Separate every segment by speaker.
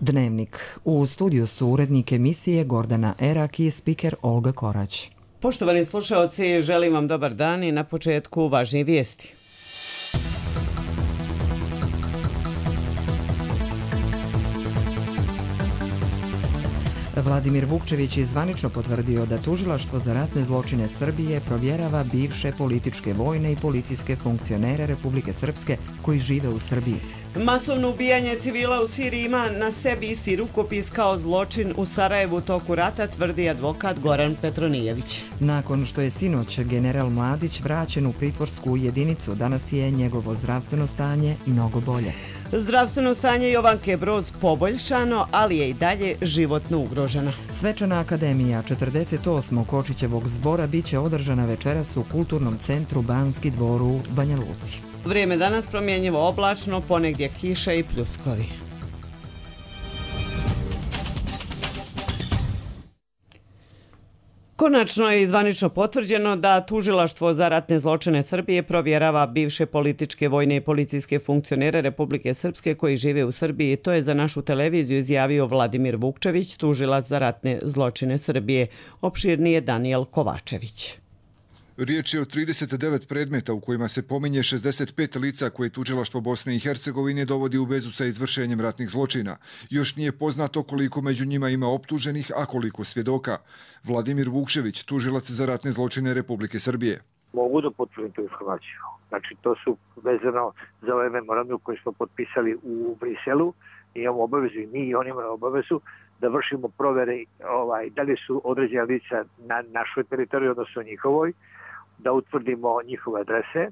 Speaker 1: Dnevnik. U studiju su urednik emisije Gordana Erak i spiker Olga Korać.
Speaker 2: Poštovani slušaoci, želim vam dobar dan i na početku važnije vijesti.
Speaker 1: Vladimir Vukčević je zvanično potvrdio da Tužilaštvo za ratne zločine Srbije provjerava bivše političke, vojne i policijske funkcionere Republike Srpske koji žive u Srbiji.
Speaker 2: Masovno ubijanje civila u Siriji ima na sebi isti rukopis kao zločin u Sarajevu u toku rata, tvrdi advokat Goran Petronijević.
Speaker 1: Nakon što je sinoć general Mladić vraćen u pritvorsku jedinicu, danas je njegovo zdravstveno stanje mnogo bolje.
Speaker 2: Zdravstveno stanje Jovanke Broz poboljšano, ali je i dalje životno ugrožena.
Speaker 1: Svečana akademija 48. Kočićevog zbora biće održana večeras u Kulturnom centru Banski dvor u Banja Luci.
Speaker 2: Vrijeme danas promjenjivo oblačno, ponegdje kiša i pljuskovi. Konačno je zvanično potvrđeno da Tužilaštvo za ratne zločine Srbije provjerava bivše političke, vojne i policijske funkcionere Republike Srpske koji žive u Srbiji. To je za našu televiziju izjavio Vladimir Vukčević, tužilac za ratne zločine Srbije. Opširnije Danijel Kovačević.
Speaker 3: Riječ je o 39 predmeta u kojima se pominje 65 lica koje Tužilaštvo Bosne i Hercegovine dovodi u vezu sa izvršenjem ratnih zločina. Još nije poznato koliko među njima ima optuženih, a koliko svjedoka. Vladimir Vukčević, tužilac za ratne zločine Republike Srbije.
Speaker 4: Mogu da potvrdim tu informaciju. Znači, to su vezano za ovaj memorandum koji smo potpisali u Briselu. Imamo obavezu i mi i oni imamo obavezu da vršimo provere da li su određena lica na našoj teritoriji, odnosno njihovoj, da utvrdimo njihove adrese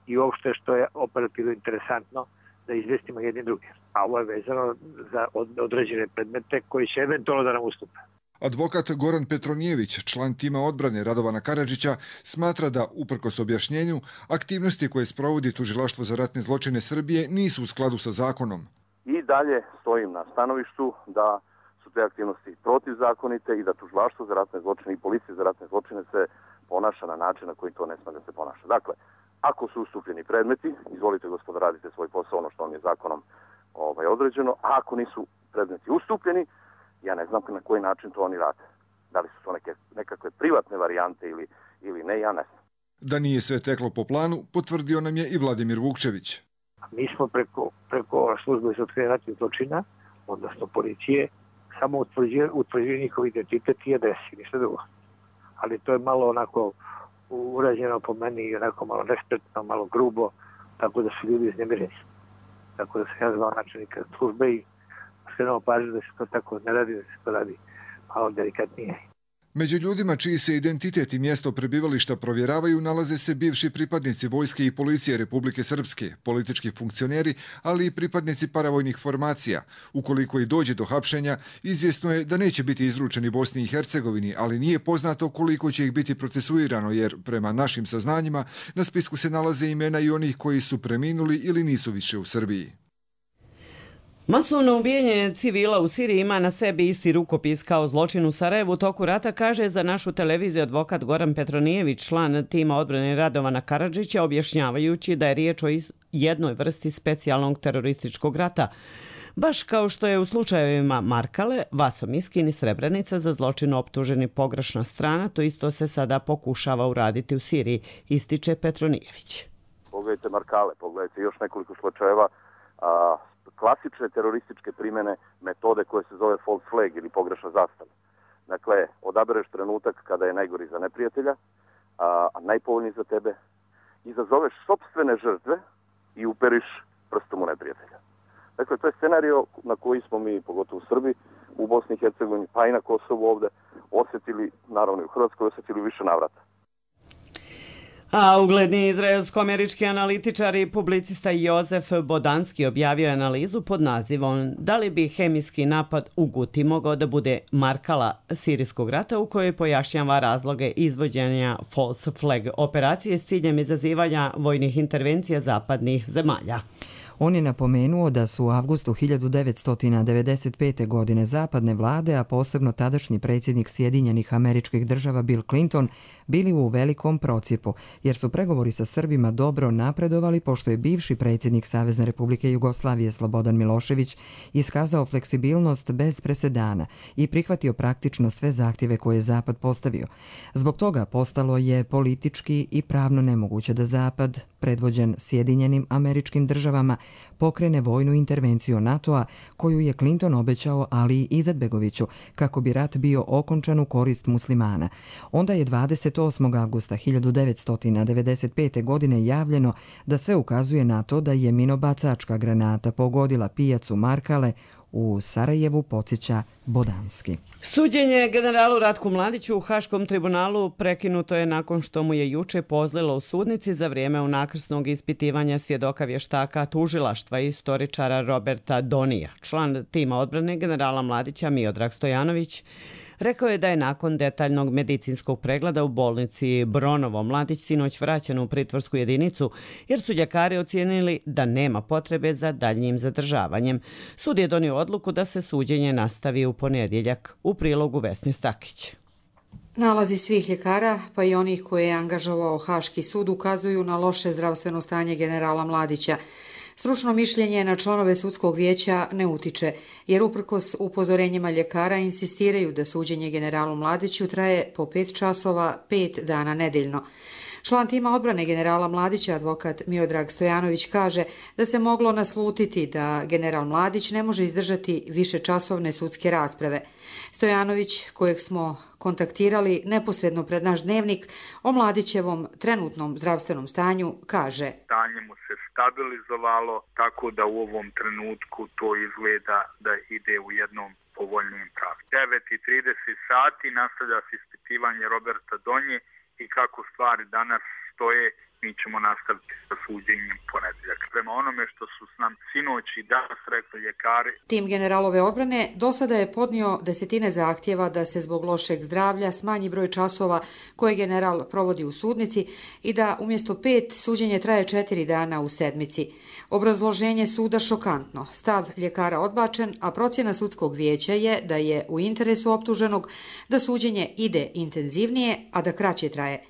Speaker 4: i uopšte što je operativno interesantno da izvestimo jedni drugi. A ovo je vezano za određene predmete koji će eventualno da nam ustupe.
Speaker 3: Advokat Goran Petronijević, član tima odbrane Radovana Karadžića, smatra da, uprkos objašnjenju, aktivnosti koje sprovodi Tužilaštvo za ratne zločine Srbije nisu u skladu sa zakonom.
Speaker 5: I dalje stojim na stanovištu da su te aktivnosti protivzakonite i da Tužilaštvo za ratne zločine i policija za ratne zločine se ponaša na način na koji to ne smije da se ponaša. Dakle, ako su ustupljeni predmeti, izvolite gospodo, radite svoj posao, ono što vam je zakonom određeno, a ako nisu predmeti ustupljeni, ja ne znam na koji način to oni rade. Da li su to nekakve privatne varijante ili ne, ja ne znam.
Speaker 3: Da nije sve teklo po planu, potvrdio nam je i Vladimir Vukčević.
Speaker 4: Mi smo preko službe za otkrivanje ratnih zločina, odnosno policije, samo utvrđuje njihov identitet i adresi, ništa drugo. Ali to je malo onako urađeno po meni, onako malo nespretno, malo grubo, tako da su ljudi iznemireni. Tako da sam ja zvao načelnika službe i skrenuo pažnju da se to tako ne radi, da se to radi malo delikatnije.
Speaker 3: Među ljudima čiji se identitet i mjesto prebivališta provjeravaju nalaze se bivši pripadnici vojske i policije Republike Srpske, politički funkcioneri, ali i pripadnici paravojnih formacija. Ukoliko i dođe do hapšenja, izvjesno je da neće biti izručeni Bosni i Hercegovini, ali nije poznato koliko će ih biti procesuirano, jer prema našim saznanjima na spisku se nalaze imena i onih koji su preminuli ili nisu više u Srbiji.
Speaker 2: Masovno ubijanje civila u Siriji ima na sebi isti rukopis kao zločin u Sarajevu u toku rata, kaže za našu televiziju advokat Goran Petronijević, član tima odbrane Radovana Karadžića, objašnjavajući da je riječ o jednoj vrsti specijalnog terorističkog rata. Baš kao što je u slučajevima Markale, Vaso Miskin i Srebrenica za zločin optuženi pogrešna strana, to isto se sada pokušava uraditi u Siriji, ističe Petronijević.
Speaker 5: Pogledajte Markale, pogledajte još nekoliko slučajeva klasične terorističke primjene metode koje se zove false flag ili pogrešna zastava. Dakle, odabereš trenutak kada je najgori za neprijatelja, a najpovoljniji za tebe, izazoveš sopstvene žrtve i uperiš prstom u neprijatelja. Dakle, to je scenario na koji smo mi, pogotovo u Srbiji, u Bosni i Hercegovini, pa i na Kosovu ovde, osjetili, naravno i u Hrvatskoj, osjetili više navrata.
Speaker 2: A ugledni izraelsko-američki analitičar i publicista Jozef Bodanski objavio je analizu pod nazivom Da li bi hemijski napad u Guti mogao da bude Markala sirijskog rata, u kojoj pojašnjava razloge izvođenja false flag operacije s ciljem izazivanja vojnih intervencija zapadnih zemalja.
Speaker 1: On je napomenuo da su u avgustu 1995. godine zapadne vlade, a posebno tadašnji predsjednik Sjedinjenih Američkih Država Bill Clinton, bili u velikom procjepu, jer su pregovori sa Srbima dobro napredovali pošto je bivši predsjednik Savezne Republike Jugoslavije Slobodan Milošević iskazao fleksibilnost bez presedana i prihvatio praktično sve zahtjeve koje je Zapad postavio. Zbog toga postalo je politički i pravno nemoguće da Zapad, predvođen Sjedinjenim Američkim Državama, pokrene vojnu intervenciju NATO-a koju je Clinton obećao Ali i Izetbegoviću kako bi rat bio okončan u korist muslimana. Onda je 28. avgusta 1995. godine javljeno da sve ukazuje na to da je minobacačka granata pogodila pijacu Markale u Sarajevu, podsjeća Bodanski.
Speaker 2: Suđenje generalu Ratku Mladiću u Haškom tribunalu prekinuto je nakon što mu je juče pozlilo u sudnici za vrijeme unakrsnog ispitivanja svjedoka vještaka tužilaštva i istoričara Roberta Donija. Član tima odbrane generala Mladića Miodrag Stojanović rekao je da je nakon detaljnog medicinskog pregleda u bolnici Bronovo Mladić sinoć vraćen u pritvorsku jedinicu jer su ljekari ocijenili da nema potrebe za daljnjim zadržavanjem. Sud je donio odluku da se suđenje nastavi u ponedjeljak. U prilogu Vesne Stakić.
Speaker 6: Nalazi svih ljekara, pa i onih koje je angažovao Haški sud, ukazuju na loše zdravstveno stanje generala Mladića. Stručno mišljenje na članove sudskog vijeća ne utiče, jer uprkos upozorenjima ljekara insistiraju da suđenje generalu Mladiću traje po 5 časova, 5 dana nedeljno. Član tima odbrane generala Mladića, advokat Miodrag Stojanović, kaže da se moglo naslutiti da general Mladić ne može izdržati višečasovne sudske rasprave. Stojanović, kojeg smo kontaktirali neposredno pred naš dnevnik, o Mladićevom trenutnom zdravstvenom stanju kaže:
Speaker 7: Stanje mu se stabilizovalo, tako da u ovom trenutku to izgleda da ide u jednom povoljnijem pravcu. 9:30 sati nastavlja se ispitivanje Roberta Donje i kako stvari danas stoje, mi ćemo nastaviti sa suđenjem ponedjeljak. Prema onome što su nam sinoć i danas rekli ljekari.
Speaker 6: Tim generalove odbrane do sada je podnio desetine zahtjeva da se zbog lošeg zdravlja smanji broj časova koje general provodi u sudnici i da umjesto 5 suđenje traje 4 dana u sedmici. Obrazloženje suda šokantno, stav ljekara odbačen, a procjena sudskog vijeća je da je u interesu optuženog da suđenje ide intenzivnije, a da kraće traje.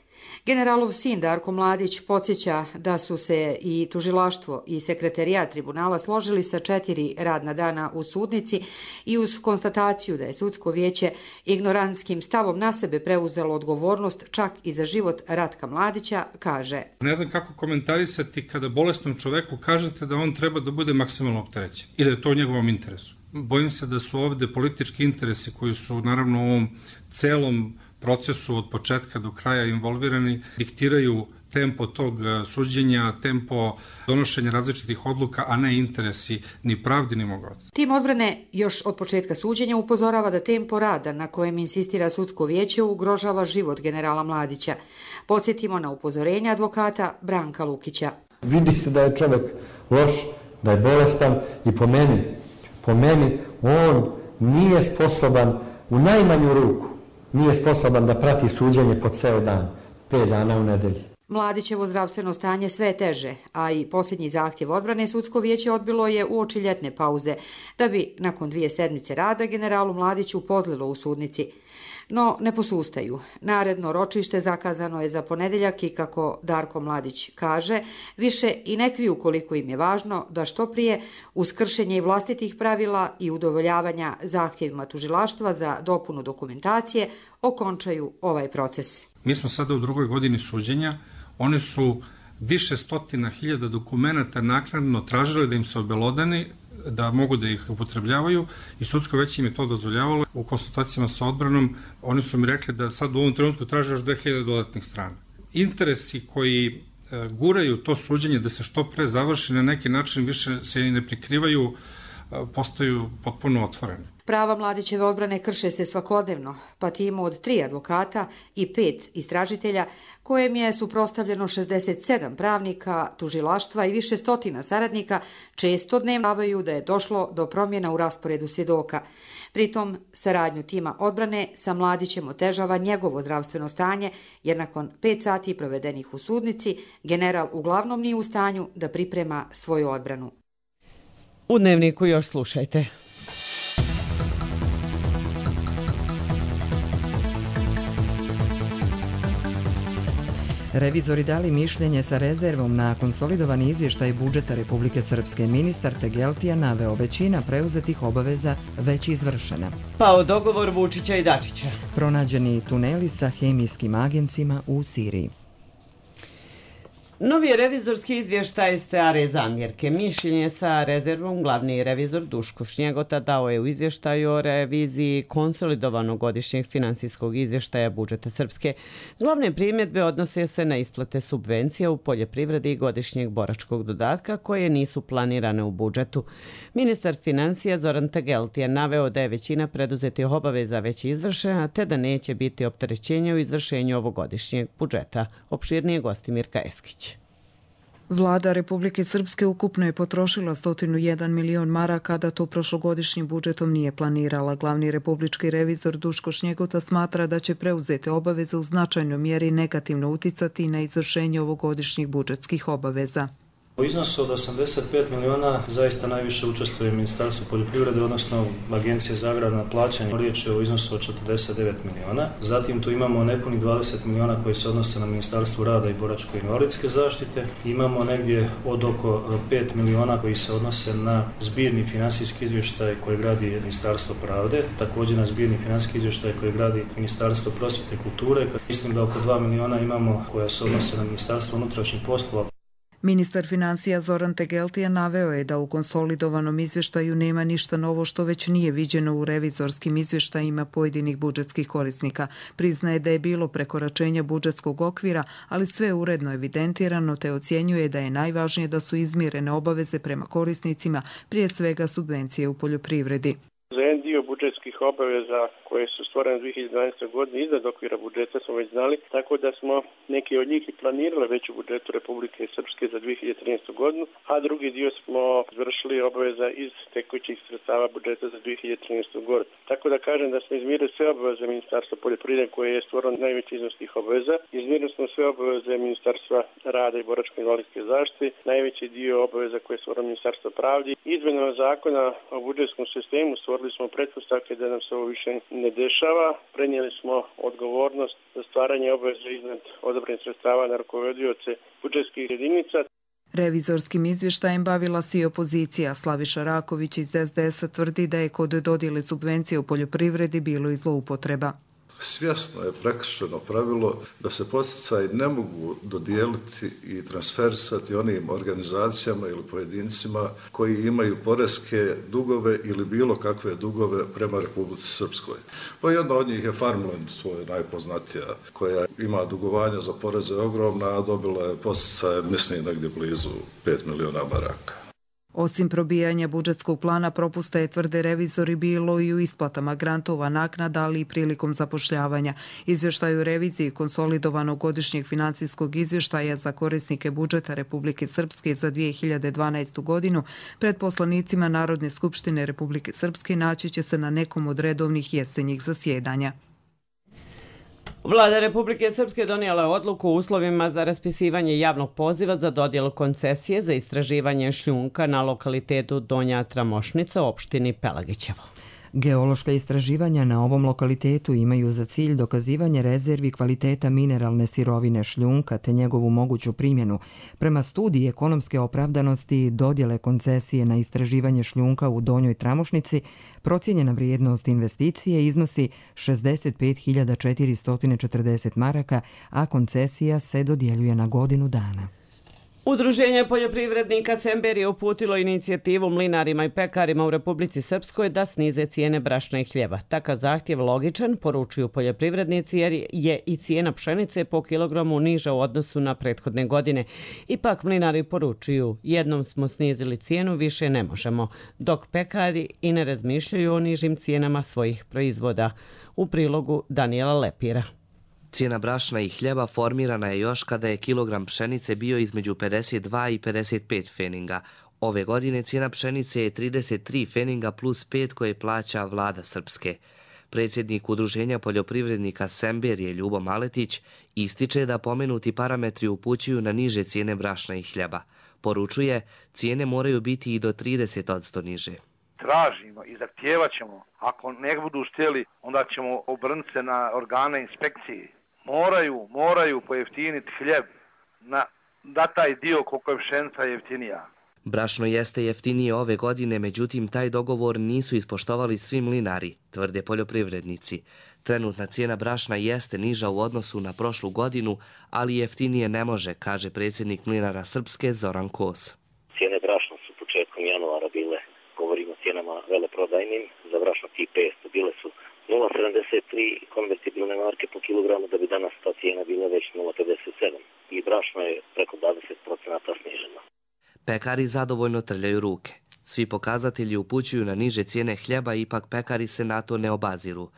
Speaker 6: Generalov sin Darko Mladić podsjeća da su se i tužilaštvo i sekretarijat tribunala složili sa 4 radna dana u sudnici i uz konstataciju da je sudsko vijeće ignorantskim stavom na sebe preuzelo odgovornost čak i za život Ratka Mladića, kaže:
Speaker 8: Ne znam kako komentarisati kada bolesnom čoveku kažete da on treba da bude maksimalno opterećen i da je to u njegovom interesu. Bojim se da su ovde politički interesi koji su naravno u ovom celom procesu od početka do kraja involvirani, diktiraju tempo tog suđenja, tempo donošenja različitih odluka, a ne interesi ni pravdi ni mog oca.
Speaker 6: Tim odbrane još od početka suđenja upozorava da tempo rada na kojem insistira sudsko vijeće ugrožava život generala Mladića. Podsjetimo na upozorenje advokata Branka Lukića.
Speaker 9: Vidi se da je čovjek loš, da je bolestan i po meni on nije sposoban u najmanju ruku nije sposoban da prati suđenje po ceo dan, 5 dana u nedelji.
Speaker 6: Mladićevo zdravstveno stanje sve je teže, a i posljednji zahtjev odbrane sudsko vijeće odbilo je uoči ljetne pauze, da bi nakon 2 sedmice rada generalu Mladiću pozlilo u sudnici. No, ne posustaju. Naredno ročište zakazano je za ponedjeljak i, kako Darko Mladić kaže, više i ne kriju koliko im je važno da što prije, uz kršenje i vlastitih pravila i udovoljavanja zahtjevima tužilaštva za dopunu dokumentacije, okončaju ovaj proces.
Speaker 8: Mi smo sada u 2. godini suđenja. Oni su više stotina hiljada dokumenata naknadno tražili da im se obelodani, da mogu da ih upotrebljavaju, i sudsko veće im je to dozvoljavalo. U konsultacijama sa odbranom oni su mi rekli da sad u ovom trenutku traže još 2000 dodatnih strana. Interesi koji guraju to suđenje da se što pre završi na neki način više se i ne prikrivaju, postaju potpuno otvoreni.
Speaker 6: Prava Mladićeve odbrane krše se svakodnevno, pa timu od 3 advokata i 5 istražitelja, kojem je suprotstavljeno 67 pravnika, tužilaštva i više stotina saradnika, često dnevno da je došlo do promjena u rasporedu svjedoka. Pritom, saradnju tima odbrane sa Mladićem otežava njegovo zdravstveno stanje, jer nakon 5 sati provedenih u sudnici, general uglavnom nije u stanju da priprema svoju odbranu.
Speaker 2: U Dnevniku još slušajte.
Speaker 1: Revizori dali mišljenje sa rezervom na konsolidovani izvještaj budžeta Republike Srpske. Ministar Tegeltija naveo većina preuzetih obaveza već izvršena.
Speaker 2: Pao dogovor Vučića i Dačića.
Speaker 1: Pronađeni tuneli sa hemijskim agencima u Siriji.
Speaker 2: Novi revizorski izvještaj stare zamjerke. Mišljenje sa rezervom glavni revizor Duško Šnjegota dao je u izvještaju o reviziji konsolidovanog godišnjeg finansijskog izvještaja budžeta Srpske. Glavne primjedbe odnose se na isplate subvencija u poljoprivredi i godišnjeg boračkog dodatka koje nisu planirane u budžetu. Ministar financija Zoran Tegeltija naveo da je većina preduzetih obaveza već izvršena te da neće biti opterećenja u izvršenju ovogodišnjeg budžeta. Opširnije gosti Mirka Eskić.
Speaker 10: Vlada Republike Srpske ukupno je potrošila 101 milion maraka, da to prošlogodišnjim budžetom nije planirala. Glavni republički revizor Duško Šnjegota smatra da će preuzete obaveze u značajnoj mjeri negativno uticati na izvršenje ovogodišnjih budžetskih obaveza.
Speaker 11: U iznosu od 85 miliona zaista najviše učestvuje Ministarstvo poljoprivrede, odnosno Agencije za agrarna plaćanja. Riječ je o iznosu od 49 miliona. Zatim tu imamo nepunih 20 miliona koji se odnose na Ministarstvo rada i boračko-invalidske zaštite. Imamo negdje od oko 5 miliona koji se odnose na zbirni finansijski izvještaj koji gradi Ministarstvo pravde, također na zbirni finansijski izvještaj koji gradi Ministarstvo prosvjete i kulture. Mislim da oko 2 miliona imamo koja se odnose na Ministarstvo unutrašnjih poslova.
Speaker 10: Ministar financija Zoran Tegeltija naveo je da u konsolidovanom izvještaju nema ništa novo što već nije viđeno u revizorskim izvještajima pojedinih budžetskih korisnika. Priznaje da je bilo prekoračenja budžetskog okvira, ali sve uredno evidentirano, te ocjenjuje da je najvažnije da su izmirene obaveze prema korisnicima, prije svega subvencije u poljoprivredi.
Speaker 12: Za jedan dio budžetskih obaveza koje su stvorene 2012. godine iznad okvira budžeta smo već znali, tako da smo neki od njih i planirali već u budžetu Republike Srpske za 2013. godinu, a drugi dio smo izvršili obaveza iz tekućih sredstava budžeta za 2013. godinu. Tako da kažem da smo izmirili sve obaveze Ministarstva poljoprivrede koje je stvoreno najveći iznos tih obaveza. Izmirili smo sve obaveze Ministarstva rada i boračko-invalidske zaštite, najveći dio obaveza koje je stvoreno Ministarstvo pravde. Izmenama zakona o budžetskom sistemu stvorili smo pretpostavke da nam se ovo više ne dešava. Prenijeli smo odgovornost za stvaranje obaveza iznad odobrenih sredstava na rukovodioce budžetskih jedinica.
Speaker 10: Revizorskim izvještajem bavila se i opozicija. Slaviša Raković iz SDS-a tvrdi da je kod dodjele subvencije u poljoprivredi bilo i zloupotreba.
Speaker 13: Svjesno je prekršeno pravilo da se podsticaji ne mogu dodijeliti i transferisati onim organizacijama ili pojedincima koji imaju poreske dugove ili bilo kakve dugove prema Republici Srpskoj. Pa jedna od njih je Farmland, to je najpoznatija, koja ima dugovanja za poreze ogromna, a dobila je podsticaje, mislim, negdje blizu 5 miliona maraka.
Speaker 10: Osim probijanja budžetskog plana, propusta je, tvrde revizori, bilo i u isplatama grantova, naknada, ali i prilikom zapošljavanja. Izvještaj u reviziji konsolidovanog godišnjeg financijskog izvještaja za korisnike budžeta Republike Srpske za 2012. godinu pred poslanicima Narodne skupštine Republike Srpske naći će se na nekom od redovnih jesenjih zasjedanja.
Speaker 2: Vlada Republike Srpske donijela je odluku o uslovima za raspisivanje javnog poziva za dodjelu koncesije za istraživanje šljunka na lokalitetu Donja Tramošnica u opštini Pelagićevo.
Speaker 1: Geološka istraživanja na ovom lokalitetu imaju za cilj dokazivanje rezervi kvaliteta mineralne sirovine šljunka te njegovu moguću primjenu. Prema studiji ekonomske opravdanosti dodjele koncesije na istraživanje šljunka u Donjoj Tramošnici, procijenjena vrijednost investicije iznosi 65.440 maraka, a koncesija se dodjeljuje na godinu dana.
Speaker 2: Udruženje poljoprivrednika Sember je uputilo inicijativu mlinarima i pekarima u Republici Srpskoj da snize cijene brašna i hljeba. Takav zahtjev logičan, poručuju poljoprivrednici, jer je i cijena pšenice po kilogramu niža u odnosu na prethodne godine. Ipak mlinari poručuju, jednom smo snizili cijenu, više ne možemo, dok pekari i ne razmišljaju o nižim cijenama svojih proizvoda. U prilogu Danijela Lepira.
Speaker 14: Cijena brašna i hljeba formirana je još kada je kilogram pšenice bio između 52 i 55 feninga. Ove godine cijena pšenice je 33 feninga plus 5 koje plaća vlada Srpske. Predsjednik Udruženja poljoprivrednika Semberije Ljubo Maletić ističe da pomenuti parametri upućuju na niže cijene brašna i hljeba. Poručuje, cijene moraju biti i do 30% niže.
Speaker 15: Tražimo i zahtijevat ćemo, ako ne budu htjeli, onda ćemo obrnuti se na organe inspekcije. Moraju pojeftiniti hljeb da taj dio koliko je pšenica jeftinija.
Speaker 14: Brašno jeste jeftinije ove godine, međutim taj dogovor nisu ispoštovali svi mlinari, tvrde poljoprivrednici. Trenutna cijena brašna jeste niža u odnosu na prošlu godinu, ali jeftinije ne može, kaže predsjednik Mlinara Srpske Zoran Kos.
Speaker 16: Cijene brašna su početkom januara bile, govorimo o cijenama veleprodajnim, za brašno tip 500 bile su 0,73 konvertibilne marke po kilogramu, da bi danas ta cijena bila već 0,57 i brašno je preko 20% sniženo.
Speaker 14: Pekari zadovoljno trljaju ruke. Svi pokazatelji upućuju na niže cijene hljeba, ipak pekari se na to ne obaziru.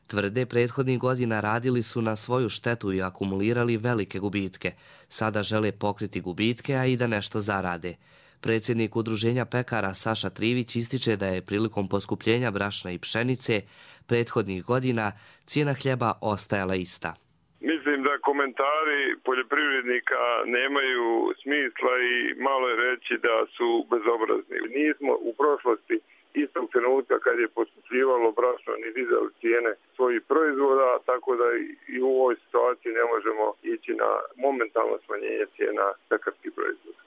Speaker 14: Tvrde, prethodnih godina radili su na svoju štetu i akumulirali velike gubitke. Sada žele pokriti gubitke, a i da nešto zarade. Predsjednik Udruženja pekara Saša Trivić ističe da je prilikom poskupljenja brašna i pšenice prethodnih godina cijena hljeba ostajala ista.
Speaker 17: Mislim da komentari poljoprivrednika nemaju smisla i malo je reći da su bezobrazni. Nismo u prošlosti istog trenutka kad je poskupljivalo brašno ni dizali cijene svojih proizvoda, tako da i u ovoj situaciji ne možemo ići na momentalno smanjenje cijena pekarskih proizvoda.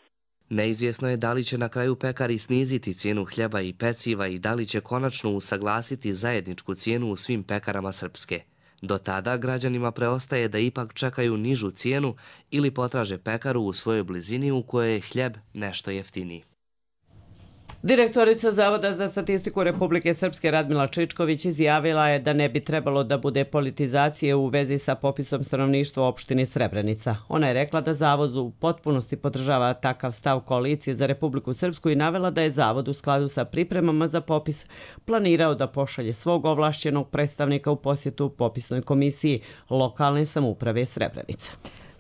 Speaker 14: Neizvjesno je da li će na kraju pekari sniziti cijenu hljeba i peciva i da li će konačno usaglasiti zajedničku cijenu u svim pekarama Srpske. Do tada građanima preostaje da ipak čekaju nižu cijenu ili potraže pekaru u svojoj blizini u kojoj je hljeb nešto jeftiniji.
Speaker 2: Direktorica Zavoda za statistiku Republike Srpske Radmila Čičković izjavila je da ne bi trebalo da bude politizacije u vezi sa popisom stanovništva u opštini Srebrenica. Ona je rekla da Zavod u potpunosti podržava takav stav Koalicije za Republiku Srpsku i navela da je Zavod u skladu sa pripremama za popis planirao da pošalje svog ovlašćenog predstavnika u posjetu popisnoj komisiji lokalne samouprave Srebrenica.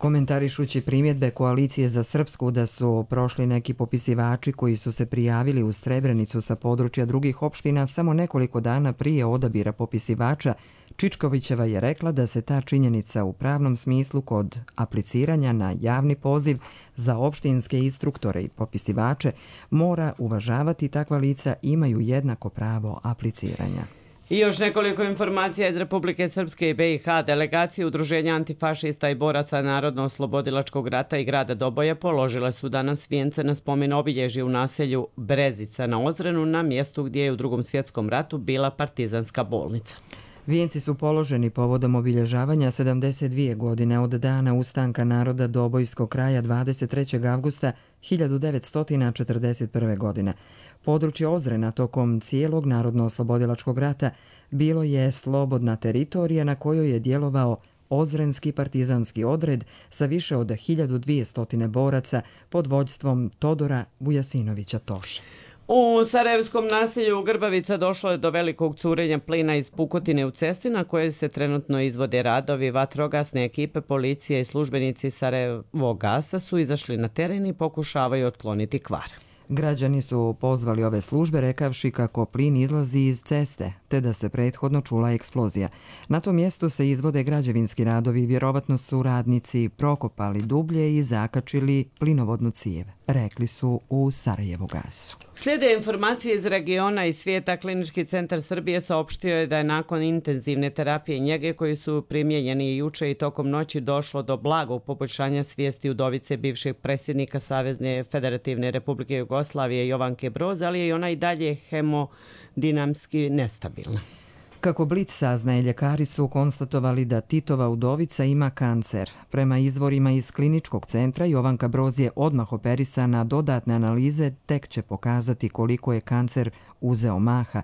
Speaker 1: Komentarišući primjedbe Koalicije za Srpsku da su prošli neki popisivači koji su se prijavili u Srebrenicu sa područja drugih opština samo nekoliko dana prije odabira popisivača, Čičkovićeva je rekla da se ta činjenica u pravnom smislu kod apliciranja na javni poziv za opštinske instruktore i popisivače mora uvažavati, takva lica imaju jednako pravo apliciranja.
Speaker 2: I još nekoliko informacija iz Republike Srpske i BiH. Delegacije Udruženja antifašista i boraca Narodno-oslobodilačkog rata i grada Doboja položile su danas vijence na spomen obilježje u naselju Brezica na Ozrenu, na mjestu gdje je u Drugom svjetskom ratu bila partizanska bolnica.
Speaker 1: Vijenci su položeni povodom obilježavanja 72 godine od dana ustanka naroda Dobojskog kraja 23. avgusta 1941. godine. Područje Ozrena tokom cijelog Narodno-oslobodilačkog rata bilo je slobodna teritorija na kojoj je djelovao Ozrenski partizanski odred sa više od 1200 boraca pod vođstvom Todora Vujasinovića Toše.
Speaker 2: U sarajevskom naselju Grbavica došlo je do velikog curenja plina iz pukotine u cesti na kojoj se trenutno izvode radovi. Vatrogasne ekipe, policija i službenici Sarajevogasa su izašli na teren i pokušavaju otkloniti kvar.
Speaker 1: Građani su pozvali ove službe rekavši kako plin izlazi iz ceste, te da se prethodno čula eksplozija. Na tom mjestu se izvode građevinski radovi, vjerovatno su radnici prokopali dublje i zakačili plinovodnu cijev, rekli su u Sarajevogasu.
Speaker 2: Slijede informacije iz regiona i svijeta. Klinički centar Srbije saopštio je da je nakon intenzivne terapije i njege koji su primijenjeni juče i tokom noći došlo do blagog poboljšanja svijesti udovice bivšeg predsjednika Savezne Federativne Republike Jugoslavije Jovanke Broz, ali je i ona i dalje hemodinamski nestabilna.
Speaker 1: Kako Blic saznaje, ljekari su konstatovali da Titova udovica ima kancer. Prema izvorima iz kliničkog centra, Jovanka Broz je odmah operisana, dodatne analize tek će pokazati koliko je kancer uzeo maha.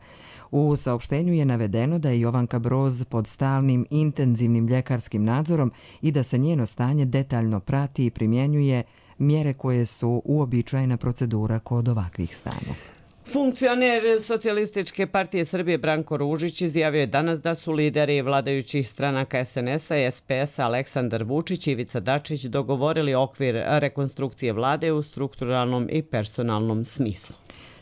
Speaker 1: U saopštenju je navedeno da je Jovanka Broz pod stalnim intenzivnim ljekarskim nadzorom i da se njeno stanje detaljno prati i primjenjuje mjere koje su uobičajena procedura kod ovakvih stanja.
Speaker 2: Funkcioner Socijalističke partije Srbije Branko Ružić izjavio je danas da su lideri vladajućih stranaka SNS-a i SPS-a Aleksandar Vučić i Ivica Dačić dogovorili okvir rekonstrukcije vlade u strukturalnom i personalnom smislu.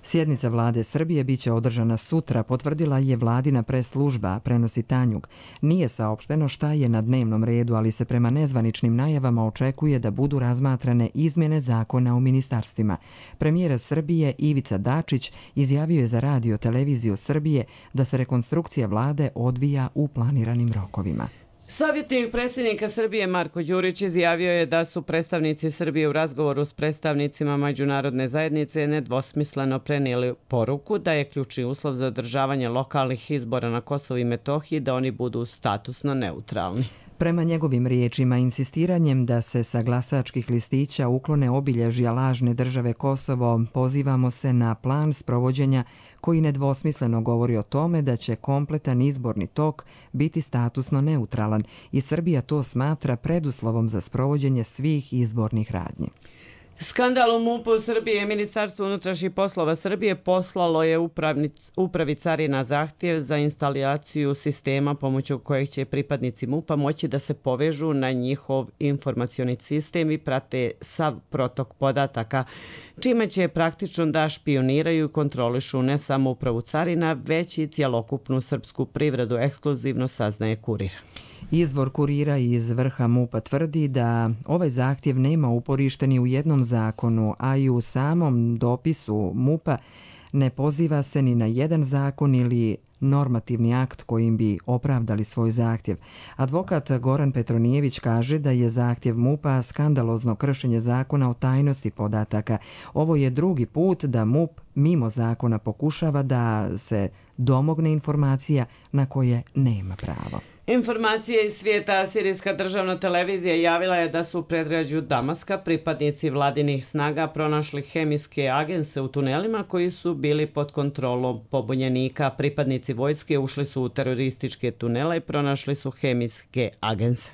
Speaker 1: Sjednica vlade Srbije biće održana sutra, potvrdila je vladina press-služba, prenosi Tanjug. Nije saopšteno šta je na dnevnom redu, ali se prema nezvaničnim najavama očekuje da budu razmatrane izmjene zakona o ministarstvima. Premijer Srbije Ivica Dačić izjavio je za Radio televiziju Srbije da se rekonstrukcija vlade odvija u planiranim rokovima.
Speaker 2: Savjetnik predsjednika Srbije Marko Đurić izjavio je da su predstavnici Srbije u razgovoru s predstavnicima međunarodne zajednice nedvosmisleno prenijeli poruku da je ključni uslov za održavanje lokalnih izbora na Kosovu i Metohiji da oni budu statusno neutralni.
Speaker 1: Prema njegovim riječima, insistiranjem da se sa glasačkih listića uklone obilježja lažne države Kosovo, pozivamo se na plan sprovođenja koji nedvosmisleno govori o tome da će kompletan izborni tok biti statusno neutralan i Srbija to smatra preduslovom za sprovođenje svih izbornih radnji.
Speaker 2: Skandal u MUP-u Srbije, Ministarstvo unutrašnjih poslova Srbije poslalo je upravi carina zahtjev za instalaciju sistema pomoću kojeg će pripadnici MUP-a moći da se povežu na njihov informacioni sistem i prate sav protok podataka, čime će praktično da špioniraju i kontrolišu ne samo upravu carina, već i cjelokupnu srpsku privredu, ekskluzivno saznaje Kurir.
Speaker 1: Izvor Kurira iz vrha MUP-a tvrdi da ovaj zahtjev nema uporište ni u jednom zakonu, a i u samom dopisu MUP-a ne poziva se ni na jedan zakon ili normativni akt kojim bi opravdali svoj zahtjev. Advokat Goran Petronijević kaže da je zahtjev MUP-a skandalozno kršenje zakona o tajnosti podataka. Ovo je drugi put da MUP mimo zakona pokušava da se domogne informacija na koje nema pravo.
Speaker 2: Informacije iz svijeta. Sirijska državna televizija javila je da su u predgrađu Damaska pripadnici vladinih snaga pronašli hemijske agense u tunelima koji su bili pod kontrolom pobunjenika. Pripadnici vojske ušli su u terorističke tunele i pronašli su hemijske agense.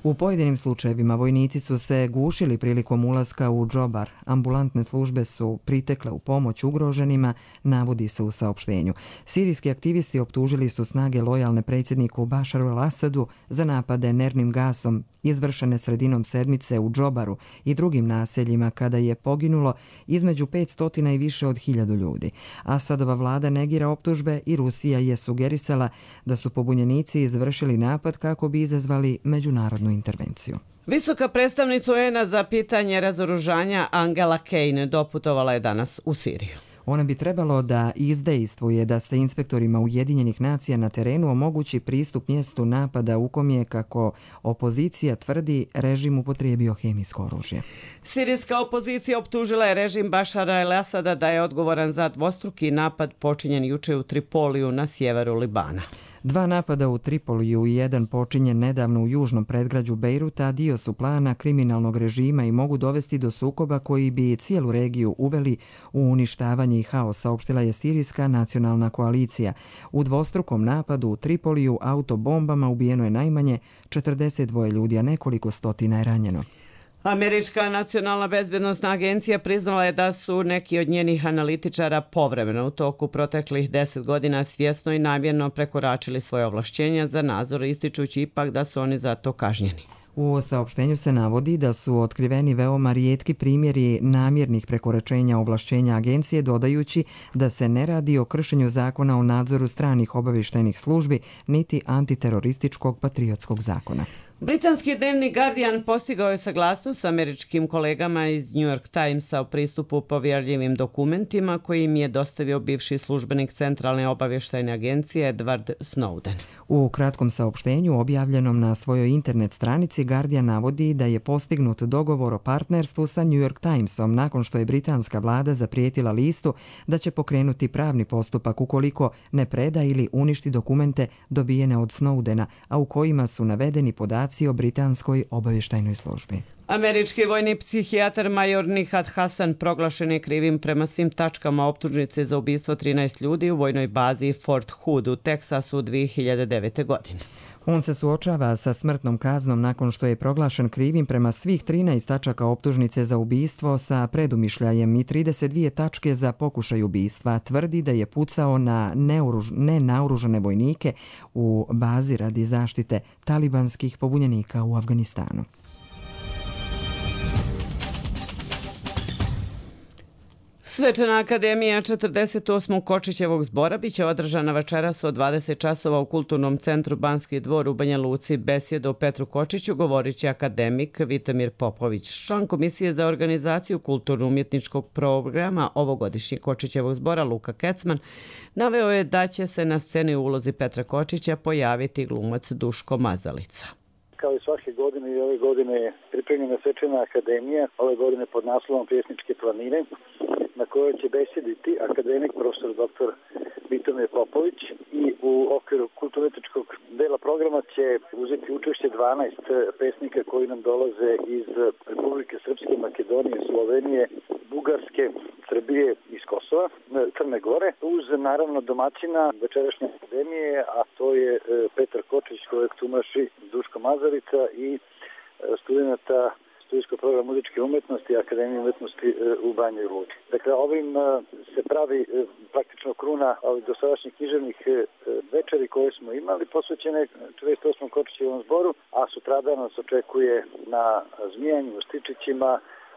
Speaker 1: U pojedinim slučajevima vojnici su se gušili prilikom ulaska u Džobar. Ambulantne službe su pritekle u pomoć ugroženima, navodi se u saopštenju. Sirijski aktivisti optužili su snage lojalne predsjedniku Bašaru al-Asadu za napade nervnim gasom izvršene sredinom sedmice u Džobaru i drugim naseljima kada je poginulo između 500 i više od 1000 ljudi. Asadova vlada negira optužbe i Rusija je sugerisala da su pobunjenici izvršili napad kako bi izazvali međunarodnu intervenciju.
Speaker 2: Visoka predstavnica UN-a za pitanje razoružanja Angela Kane doputovala je danas u Siriju.
Speaker 1: Ona bi trebalo da izdejstvuje da se inspektorima Ujedinjenih nacija na terenu omogući pristup mjestu napada u kom je, kako opozicija tvrdi, režim upotrijebio hemijsko oružje.
Speaker 2: Sirijska opozicija optužila je režim Bašara al-Asada da je odgovoran za dvostruki napad počinjen juče u Tripoliju na sjeveru Libana.
Speaker 1: 2 napada u Tripoliju i 1 počinjen nedavno u južnom predgrađu Bejruta dio su plana kriminalnog režima i mogu dovesti do sukoba koji bi cijelu regiju uveli u uništavanje i haos, saopštila je Sirijska nacionalna koalicija. U dvostrukom napadu u Tripoliju autobombama ubijeno je najmanje 42 ljudi, a nekoliko stotina je ranjeno.
Speaker 2: Američka nacionalna bezbjednosna agencija priznala je da su neki od njenih analitičara povremeno u toku proteklih 10 godina svjesno i namjerno prekoračili svoje ovlašćenja za nadzor, ističući ipak da su oni za to kažnjeni.
Speaker 1: U saopštenju se navodi da su otkriveni veoma rijetki primjeri namjernih prekoračenja ovlašćenja agencije, dodajući da se ne radi o kršenju zakona o nadzoru stranih obavještajnih službi niti antiterorističkog patriotskog zakona.
Speaker 2: Britanski dnevnik Guardian postigao je saglasnost s američkim kolegama iz New York Timesa o pristupu povjerljivim dokumentima koji im je dostavio bivši službenik Centralne obavještajne agencije Edward Snowden.
Speaker 1: U kratkom saopštenju objavljenom na svojoj internet stranici Guardian navodi da je postignut dogovor o partnerstvu sa New York Timesom nakon što je britanska vlada zaprijetila listu da će pokrenuti pravni postupak ukoliko ne preda ili uništi dokumente dobijene od Snowdena, a u kojima su navedeni podaci o britanskoj obavještajnoj službi.
Speaker 2: Američki vojni psihijatar major Nihat Hasan proglašen je krivim prema svim tačkama optužnice za ubistvo 13 ljudi u vojnoj bazi Fort Hood u Teksasu 2009. godine.
Speaker 1: On se suočava sa smrtnom kaznom nakon što je proglašen krivim prema svih 13 tačaka optužnice za ubistvo sa predumišljajem i 32 tačke za pokušaj ubistva. Tvrdi da je pucao na nenaoružane vojnike u bazi radi zaštite talibanskih pobunjenika u Afganistanu.
Speaker 2: Svečana akademija 48. Kočićevog zbora biće održana večeras od 20 časova u Kulturnom centru Banski dvor u Banja Luci. Besjedu o Petru Kočiću govorit će akademik Vitomir Popović. Član Komisije za organizaciju kulturno-umjetničkog programa ovogodišnjeg Kočićevog zbora Luka Kecman naveo je da će se na sceni u ulozi Petra Kočića pojaviti glumac Duško Mazalica.
Speaker 18: Kao i svake godine i ove godine je pripremljena svečana akademija, ove godine pod naslovom Pjesničke planine, na kojoj će besjediti akademik profesor dr. Vitomir Popović i u okviru kulturno-umjetničkog dela programa će uzeti učešće 12 pesnika koji nam dolaze iz Republike Srpske, Makedonije, Slovenije, Bugarske, Srbije i iz Kosova, Crne Gore, uz naravno domaćina večerašnje akademije, a to je Petar Kočić kojeg tumači Duško Mazalica i studenta studijskog programa muzičke umjetnosti Akademije umjetnosti u Banjoj Luci. Dakle, ovim se pravi praktično kruna ovih dosadašnjih književnih večeri koje smo imali posvećene 48. Kočićevom zboru, a sutradan nas očekuje na Zmijanju u Stičićima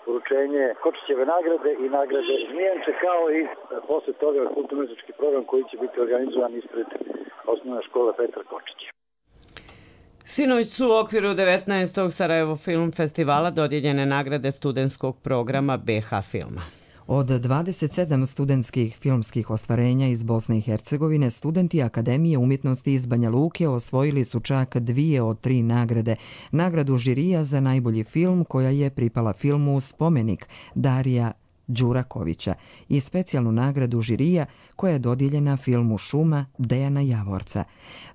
Speaker 18: uručenje Kočićeve nagrade i nagrade Zmijanče, kao i posle toga kulturno-umjetnički program koji će biti organizovan ispred osnovne škole Petra Kočića.
Speaker 2: Sinoć su u okviru 19. Sarajevo Film Festivala dodijeljene nagrade studentskog programa BH Filma.
Speaker 1: Od 27 studentskih filmskih ostvarenja iz Bosne i Hercegovine, studenti Akademije umjetnosti iz Banja Luke osvojili su čak 2 od 3 nagrade. Nagradu žirija za najbolji film koja je pripala filmu Spomenik Darija Đurakovića i specijalnu nagradu žirija koja je dodijeljena filmu Šuma Dejana Javorca.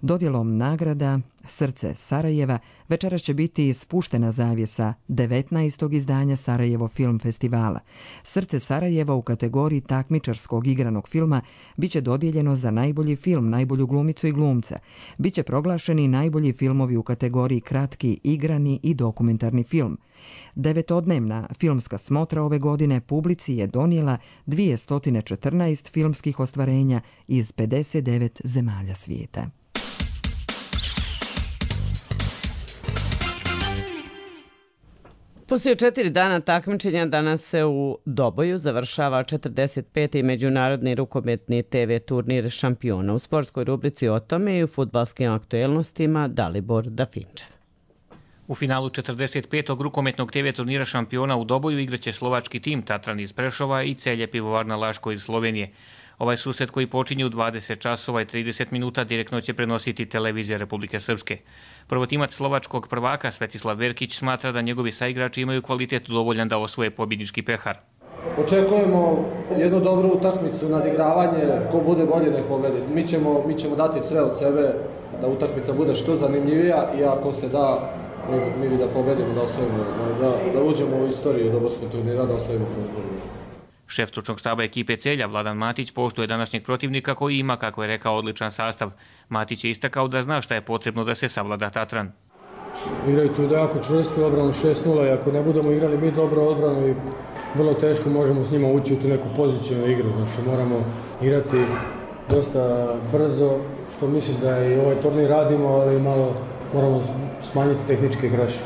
Speaker 1: Dodjelom nagrada Srce Sarajeva večeras će biti spuštena zavjesa 19. izdanja Sarajevo Film Festivala. Srce Sarajeva u kategoriji takmičarskog igranog filma biće dodijeljeno za najbolji film, najbolju glumicu i glumca. Biće proglašeni najbolji filmovi u kategoriji kratki, igrani i dokumentarni film. 9-dnevna filmska smotra ove godine publici je donijela 214 filmskih ostvarenja iz 59 zemalja svijeta.
Speaker 2: Poslije 4 dana takmičenja danas se u Doboju završava 45. međunarodni rukometni TV turnir šampiona. U sportskoj rubrici o tome i u fudbalskim aktuelnostima Dalibor Dafinčev.
Speaker 19: U finalu 45. rukometnog TV turnira šampiona u Doboju igraće slovački tim Tatran iz Prešova i Celje Pivovarna Laško iz Slovenije. Ovaj susret koji počinje u 20 časova i 30 minuta direktno će prenositi televizija Republike Srpske. Prvotimac slovačkog prvaka Svetislav Verkić smatra da njegovi saigrači imaju kvalitet dovoljan da osvoje pobjednički pehar.
Speaker 20: Očekujemo jednu dobru utakmicu, nadigravanje, ko bude bolje nek pobedi. Mi ćemo dati sve od sebe da utakmica bude što zanimljivija i ako se da, mi bi da pobedimo, da osvojimo, da uđemo u istoriju doborskog turnira, da osvojimo turnir.
Speaker 19: Šef stručnog štaba ekipe Celja, Vladan Matić, poštuje današnjeg protivnika koji ima, kako je rekao, odličan sastav. Matić je istakao da zna šta je potrebno da se savlada Tatran.
Speaker 20: Igraju tu jako čvrstu obranu 6-0 i ako ne budemo igrali mi dobro odbranu i vrlo teško možemo s njima ući u tu neku pozicijnu igru. Znači moramo igrati dosta brzo, što mislim da i ovaj turnir radimo, ali malo moramo smanjiti tehničke greške.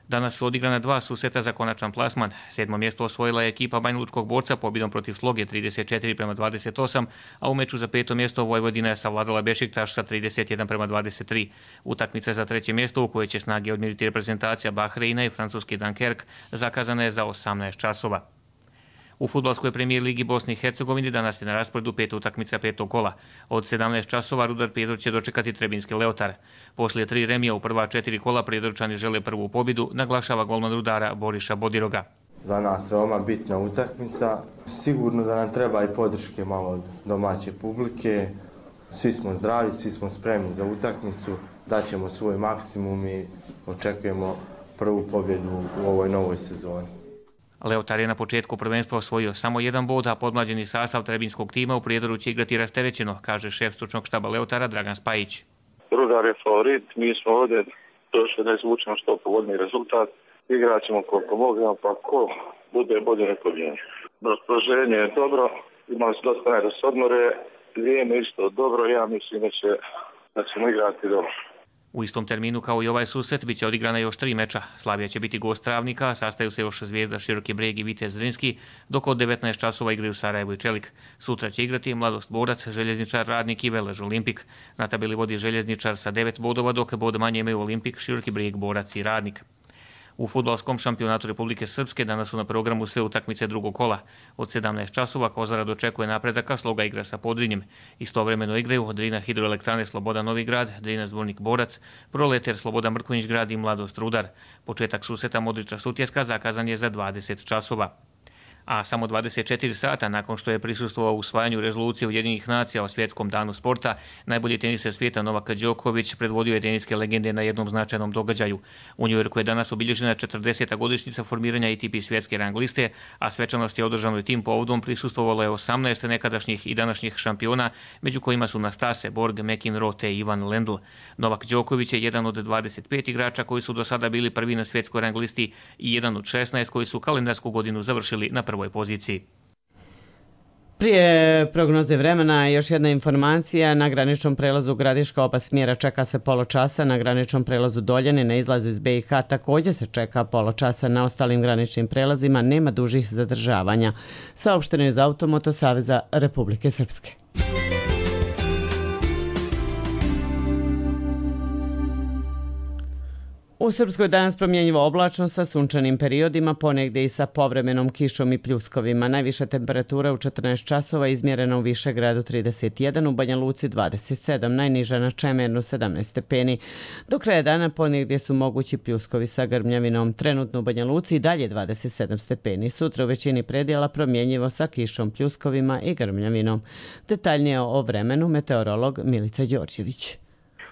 Speaker 19: Danas su odigrana 2 susreta za konačan plasman. 7. mjesto osvojila je ekipa Banjalučkog Borca pobjedom protiv Sloge 34-28, a u meču za 5. mjesto Vojvodina je savladala Bešiktaš sa 31-23. Utakmica za 3. mjesto u kojoj će snage odmjeriti reprezentacija Bahreina i francuski Dunkerque zakazana je za 18 časova. U fudbalskoj premijer ligi Bosne i Hercegovine danas je na rasporedu 5 utakmica 5. kola. Od 17 časova Rudar Prijedor će dočekati Trebinski Leotar. Poslije 3 remija u prva 4 kola Prijedorčani žele prvu pobjedu, naglašava golman Rudara Boriša Bodiroga.
Speaker 21: Za nas veoma bitna utakmica. Sigurno da nam treba i podrške malo od domaće publike. Svi smo zdravi, svi smo spremni za utakmicu. Daćemo svoj maksimum i očekujemo prvu pobjedu u ovoj novoj sezoni.
Speaker 19: Leotar je na početku prvenstva osvojio samo 1 bod, a podmlađeni sastav trebinskog tima u Prijedoru će igrati rasterećeno, kaže šef stručnog štaba Leotara Dragan Spajić.
Speaker 22: Rudar je favorit, mi smo ovdje došli da izvučemo što povoljniji rezultat. Igrat ćemo koliko možemo, pa ko bude bolje neko vrijeme. Raspoloženje je dobro, imali smo dosta da se odmore, vrijeme isto dobro, ja mislim da ćemo igrati dobro.
Speaker 19: U istom terminu kao i ovaj susret biće odigrana još 3 meča. Slavija će biti gost Travnika, sastaju se još Zvijezda Široki Breg i Vitez Zrinski, dok od 19 časova igraju Sarajevo i Čelik. Sutra će igrati Mladost Borac, Željezničar Radnik i Velež Olimpik. Na tabeli vodi Željezničar sa 9 bodova, dok bod manje imaju Olimpik, Široki Breg, Borac i Radnik. U fudbalskom šampionatu Republike Srpske danas su na programu sve utakmice drugog kola. Od 17 časova Kozara dočekuje napredaka, Sloga igra sa Podrinjem. Istovremeno igraju Drina Hidroelektrane Sloboda Novi Grad, Drina Zvornik Borac, Proleter Sloboda Mrkonjić Grad i Mladost Rudar. Početak susreta Modriča Sutjeska zakazan je za 20 časova. A samo 24 sata nakon što je prisustvovao usvajanju rezolucije Ujedinjenih nacija o svjetskom danu sporta, najbolji teniser svijeta Novak Đoković predvodio je teniske legende na jednom značajnom događaju. U Njujorku je danas obilježena 40. godišnjica formiranja ATP svjetske rang liste, a svečanost je održana tim povodom prisustvovalo je 18 nekadašnjih i današnjih šampiona, među kojima su Nastase, Borg, McEnroe te Ivan Lendl. Novak Đoković je jedan od 25 igrača koji su do sada bili prvi na svjetskoj rang listi i jedan od 16 koji su kalendarsku godinu završili na prvoj poziciji.
Speaker 2: Prije prognoze vremena još jedna informacija. Na graničnom prelazu Gradiška oba smjera čeka se pola časa. Na graničnom prelazu Doljani na izlazu iz BiH također se čeka pola časa. Na ostalim graničnim prelazima nema dužih zadržavanja. Saopšteno je iz Automoto Saveza Republike Srpske. U Srpskoj danas promjenjivo oblačno sa sunčanim periodima, ponegdje i sa povremenom kišom i pljuskovima. Najviša temperatura u 14 časova izmjerena u Višegradu 31, u Banja Luci 27, najniža na Čemernu 17 stepeni. Do kraja dana ponegdje su mogući pljuskovi sa grmljavinom. Trenutno u Banja Luci i dalje 27 stepeni. Sutra u većini predjela promjenjivo sa kišom, pljuskovima i grmljavinom. Detaljnije o vremenu meteorolog Milica Đorđević.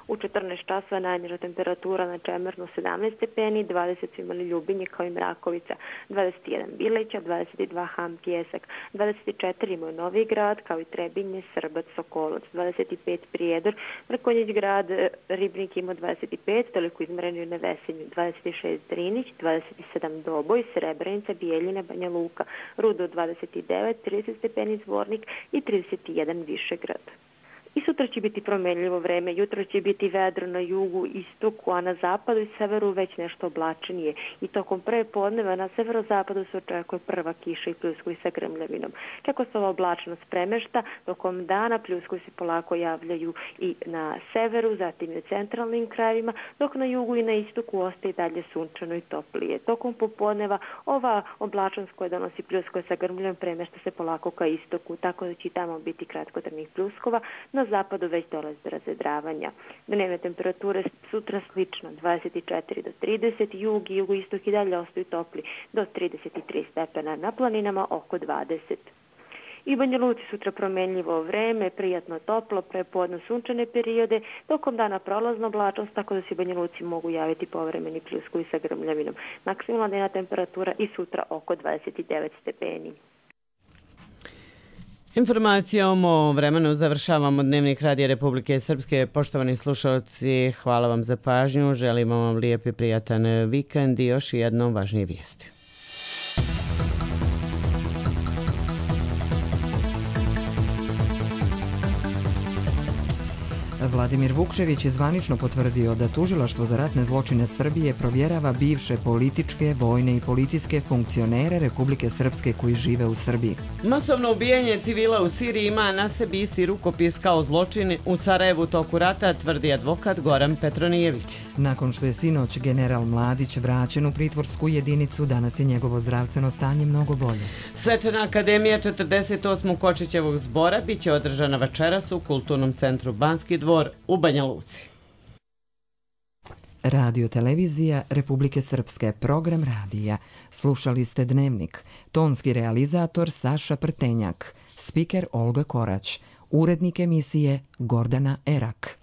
Speaker 3: U 14 časova najniža temperatura na Čemernu 17 stepeni, 20 su imali Ljubinje kao i Mrakovica, 21 Bileća, 22 Ham Pjesak, 24 imaju Novi Grad kao i Trebinje, Srbac, Sokolac, 25 Prijedor, Mrkonjić Grad, Ribnik ima 25, toliko izmjerenju na Vesenju, 26 Drinić, 27 Doboj, Srebrenica, Bijeljina, Banja Luka, Rudo 29, 30 stepeni Zvornik i 31 Višegrad. I sutra će biti promenljivo vreme, jutro će biti vedro na jugu, istoku, a na zapadu i severu već nešto oblačenije. I tokom prve podneva na severozapadu se očekuje prva kiša i pljuskovi sa grmljavinom. Kako se ova oblačnost premešta, tokom dana pljuskovi se polako javljaju i na severu, zatim i u centralnim krajevima, dok na jugu i na istoku ostaje dalje sunčano i toplije. Tokom popodneva ova oblačnost koja donosi pljuskove sa grmljom premešta se polako ka istoku, tako da će tamo biti kratkotrajnih pljuskova. Na zapadu već dolazi do razvedravanja. Dnevne temperature sutra slično, 24 do 30, jug i jugoistok i dalje ostaju topli do 33 stepena, na planinama oko 20. I u Banja Luci sutra promenljivo vreme, prijatno toplo, prepodne sunčane periode, tokom dana prolazno oblačnost, tako da se u Banja Luci mogu javiti povremeni pljuskovi sa grmljavinom. Maksimalna dnevna temperatura i sutra oko 29 stepeni.
Speaker 2: Informacijom o vremenu završavamo Dnevnik Radija Republike Srpske. Poštovani slušalci, hvala vam za pažnju, želimo vam lijep i prijatan vikend i još jednom važnije vijesti.
Speaker 1: Vladimir Vukčević je zvanično potvrdio da Tužilaštvo za ratne zločine Srbije provjerava bivše političke, vojne i policijske funkcionere Republike Srpske koji žive u Srbiji.
Speaker 2: Masovno ubijanje civila u Siriji ima na sebi isti rukopis kao zločin u Sarajevu toku rata, tvrdi advokat Goran Petronijević.
Speaker 1: Nakon što je sinoć general Mladić vraćen u pritvorsku jedinicu, danas je njegovo zdravstveno stanje mnogo bolje.
Speaker 2: Svečana akademija 48. Kočićevog zbora biće održana večeras u Kulturnom centru Banski dvor u Banja Luci.
Speaker 1: Radio televizija Republike Srpske, program radija. Slušali ste Dnevnik. Tonski realizator Saša Prtenjak. Spiker Olga Korać. Urednik emisije Gordana Erak.